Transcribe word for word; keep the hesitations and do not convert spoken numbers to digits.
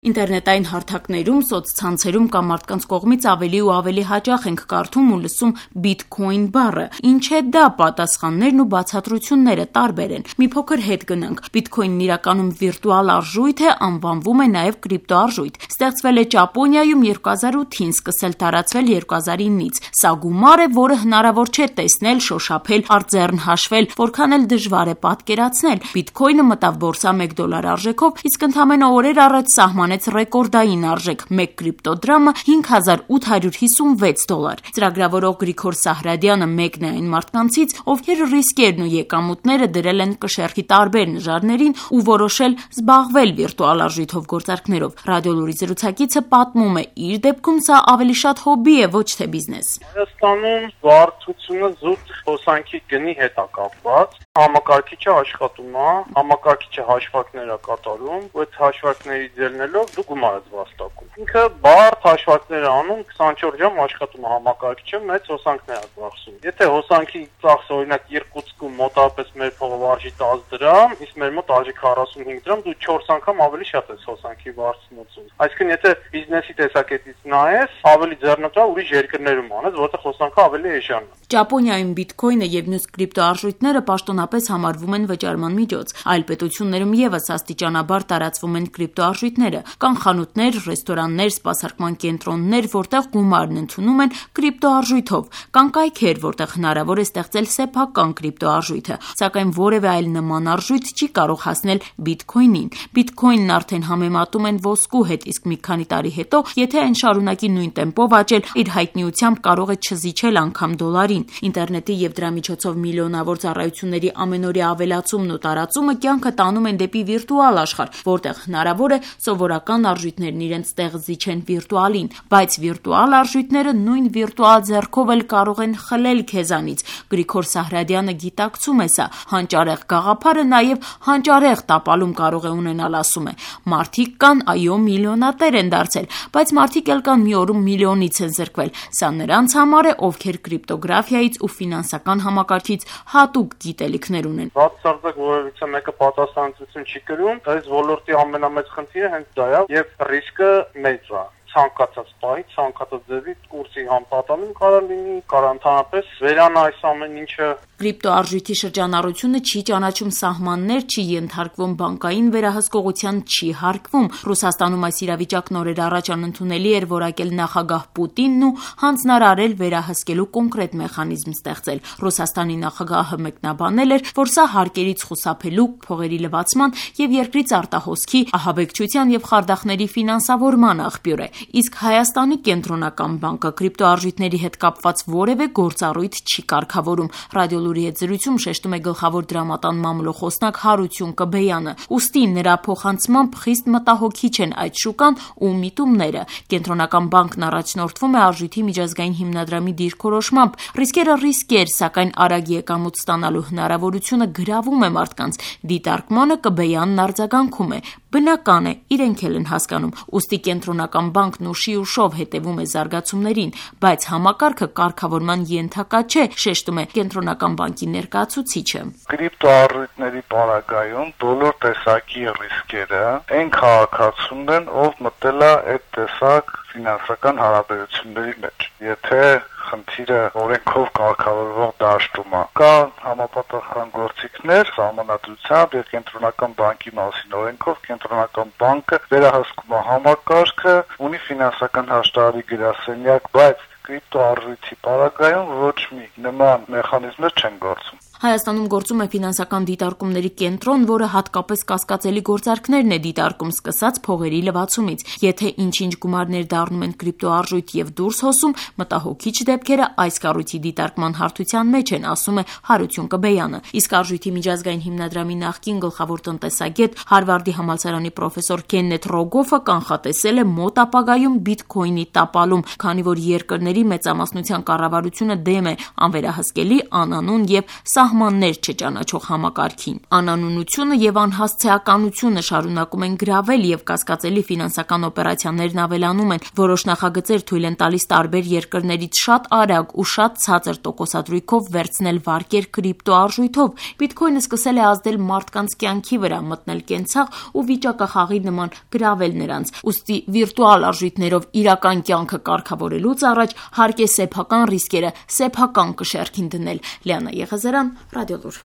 Ինտերնետային հարթակներում, սոցցանցերում կամ մարդկանց կողմից ավելի ու ավելի հաճախ ենք կարդում ու լսում բիտքոին բառը, ինչ է դա, պատասխաններն ու բացատրությունները տարբեր են։ Մի փոքր հետ գնանք։ Բիտքոինն իրականում վիրտուալ արժույթ է, անվանվում է նաև կրիպտոարժույթ։ Ստեղծվել է Ճապոնիայում երկու հազար ութին, սկսել տարածվել երկու հազար իննից։ Սա գումար է, որը հնարավոր չէ տեսնել, շոշափել, արձեռն հաշվել, որքան էլ դժվար է պատկերացնել։ Բիտքոինը մտավ բորսա մեկ դոլար արժեքով, իսկ ընդամենը օրեր առաջ սահման ռեկորդային արժեք մեկ կրիպտոդրամը հինգ հազար ութ հարյուր հիսունվեց դոլար։ Ծրագրավորող Գրիգոր Սահրադյանը մեկն է այն մարդկանցից, ովքեր ռիսկերն ու եկամուտները դրել են կշեռքի տարբեր նժարներին ու որոշել զբաղվել վիրտուալ արժույթով գործարքներով։ Ռադիոլուրի զրուցակիցը պատմում է, իր դեպքում սա ավելի շատ հոբբի է, ոչ թե բիզնես։ Հայաստանում վարչությունը զուտ հոսանքի գնի հետ է կապված։ Համակարգիչը աշխատում է, համակարգիչը հաշվարկներ է կատարում, ու այդ հաշվարկների ձեռնելով դու գումար ես վաստակում։ Ինքը բարդ հաշվարկներ է անում, քսանչորս ժամ աշխատում է համակարգիչը, մեծ հոսանքներ է ծախսում։ Եթե հոսանքի ծախսը օրինակ Իրկուտսկում մոտավորապես մեր փողով արժի տասը դրամ, իսկ մեր մոտ արժի քառասունհինգ դրամ, դու չորս անգամ ավելի շատ ես հոսանքի վարձնոցում։ Այսինքն եթե բիզնեսի տեսակետից նայես, ավելի ձեռնտու ուրիշ երկրներում անես, որտեղ հոսանքը ավելի էժան է։ Ճապոնիայում բիտքոինը եւ մյուս կրիպտոարժույթները պաշտոնապես համարվում են վճարման միջոց։ Այլ պետություններում եւս աստիճանաբար տարածվում են կրիպտոարժույթները։ Կան խանութներ, ռեստորաններ, սպասարկման կենտրոններ, որտեղ գումարն ընդունում են կրիպտոարժույթով։ Կան կայքեր, որտեղ հնարավոր է ստեղծել սեփական կրիպտոարժույթը, սակայն որևէ այլ նման արժույթ չի կարող հասնել բիտքոինին։ Բիտքոինն արդեն համեմատում են ոսկու հետ, իսկ մի քանի տարի հետո, եթե այն շարունակի նույն տեմպով աճել, իր հայտնիությամբ կարող է չզիջել անգամ դոլարին։ Ինտերնետի եւ դրա միջոցով միլիոնավոր ծառայությունների ամենօրյա ավելացումն ու տարածումը կյանքը տանում են դեպի վիրտուալ աշխարհ, որտեղ հնարավոր է սովորական արժույթներն իրենց տեղ զիջեն վիրտուալին, բայց վիրտուալ արժույթները նույն վիրտուալ ձեռքով էլ կարող են խլել քեզանից։ Գրիգոր Սահրադյանը գիտակցում է սա։ Հանճարեղ գաղափարը նաև հանճարեղ տապալում կարող է ունենալ, ասում է։ Մարդիկ կան, այո, միլիոնատեր են դարձել, բայց մարդիկ էլ կան մի օրում միլիոնից են զրկվել։ Սա նրանց համար է, ովքեր կրիպտոգրաֆիայից ու ֆինանսական համակարգից հատուկ գիտելիքներ ունեն։ Բացարձակ որևիցե մեկը պատասխանատվություն չի կրում, այս ոլորտի ամենամեծ խնդիրը հենց դա է, եւ ռիսկը մեծ է։ Ցանկացած պահի, ցանկացած ձևի կուրսի համապատասխանում կարող լինի, կարող ընդհանրապես վերանա այս ամեն ինչը։ Կրիպտոարժույթի շրջանառությունը չի ճանաչում սահմաններ, չի ենթարկվում բանկային վերահսկողության, չի հարկվում։ Ռուսաստանում այս իրավիճակն օրեր առաջ անընդունելի էր որակել նախագահ Պուտինն ու հանձնարարել վերահսկելու կոնկրետ մեխանիզմ ստեղծել։ Ռուսաստանի նախագահը մեկնաբանել էր, որ սա հարկերից խուսափելու, փողերի լվացման եւ երկրից արտահոսքի, ահաբեկչության եւ խարդախների ֆինանսավորման աղբյուր է։ Իսկ Հայաստանի կենտրոնական բանկը կրիպտոարժույթների հետ կապված որևէ գործառույթ չի կարգավորում։ Ռադիոլուրի հետ զրույցում շեշտում է գլխավոր դրամատան մամլոխոսնակ Հարություն Կբեյանը։ Ուստի նրա փոխանցմամբ խիստ մտահոգիչ են այդ շուկան ու միտումները։ Կենտրոնական բանկն առաջնորդվում է արժույթի միջազգային հիմնադրամի դիրքորոշմամբ։ Ռիսկերը ռիսկեր, սակայն արագ եկամուտ ստանալու հնարավորությունը գրավում է մարդկանց։ Դիտարկմանը Կբեյանն արձագանքում է։ Բնական է, իրենք էլ են հասկանում։ Ուստի կենտրոնական բանկն ուշի ուշով հետևում է զարգացումներին, բայց համակարգը կարգավորման ենթակա չէ, շեշտում է կենտրոնական բանկի ներկայացուցիչը։ Կրիպտոարժույթների պարագայում բոլոր տեսակի ռիսկերը այն քաղաքացուն են, ով մտել է այդ տեսակ ֆինանսական հարաբերությունների մեջ։ Եթե խնդիրը օրենքով կարգավորվող դաշտում է, կա համապատասխան գործիքներ սահմանադրությամբ եւ կենտրոնական բանկի մասին օրենքով կենտրոնական բանկը վերահսկում է համակարգը, ունի ֆինանսական հաշտարարի գրասենյակ, բայց կրիպտոարժույթի պարագայում ոչ մի նման մեխանիզմներ չեն գործում։ Հայաստանում գործում է ֆինանսական դիտարկումների կենտրոն, որը հատկապես կասկածելի գործարքներն է դիտարկում, սկսած փողերի լվացումից։ Եթե ինչ-ինչ գումարներ դառնում են կրիպտոարժույթ եւ դուրս հոսում, մտահոգիչ դեպքերը այս կառույցի դիտարկման հարթության մեջ են, ասում է Հարություն Կբեյանը։ Իսկ արժույթի միջազգային հիմնադրամի նախկին գլխավոր տնտեսագետ, Հարվարդի համալսարանի պրոֆեսոր Քեննեթ Ռոգոֆը կանխատեսել է մոտ ապագայում բիտքոինի տապալում, քանի որ երկրների մեծամասնության կառավարությունը դեմ է անվերահսկելի, անանուն եւ սահ սահմաններ չճանաչող համակարգին։ Անանունությունը եւ անհասցեականությունը շարունակում են գրավել եւ կասկածելի ֆինանսական օպերացիաներն ավելանում են։ Որոշ նախագծեր թույլ են տալիս տարբեր երկրներից շատ արագ ու շատ ցածր տոկոսադրույքով վերցնել վարկեր կրիպտոարժույթով։ Բիթքոյնը սկսել է ազդել մարդկանց կյանքի վրա, մտնել կենցաղ ու վիճակախաղի նման գրավել նրանց։ Ուստի վիրտուալ արժույթներով իրական կյանքը կարգավորելուց առաջ հարկ է սեփական ռիսկերը սեփական կշեռքին դնել։ Լիանա Եղազարյան, Ռադիոլուր։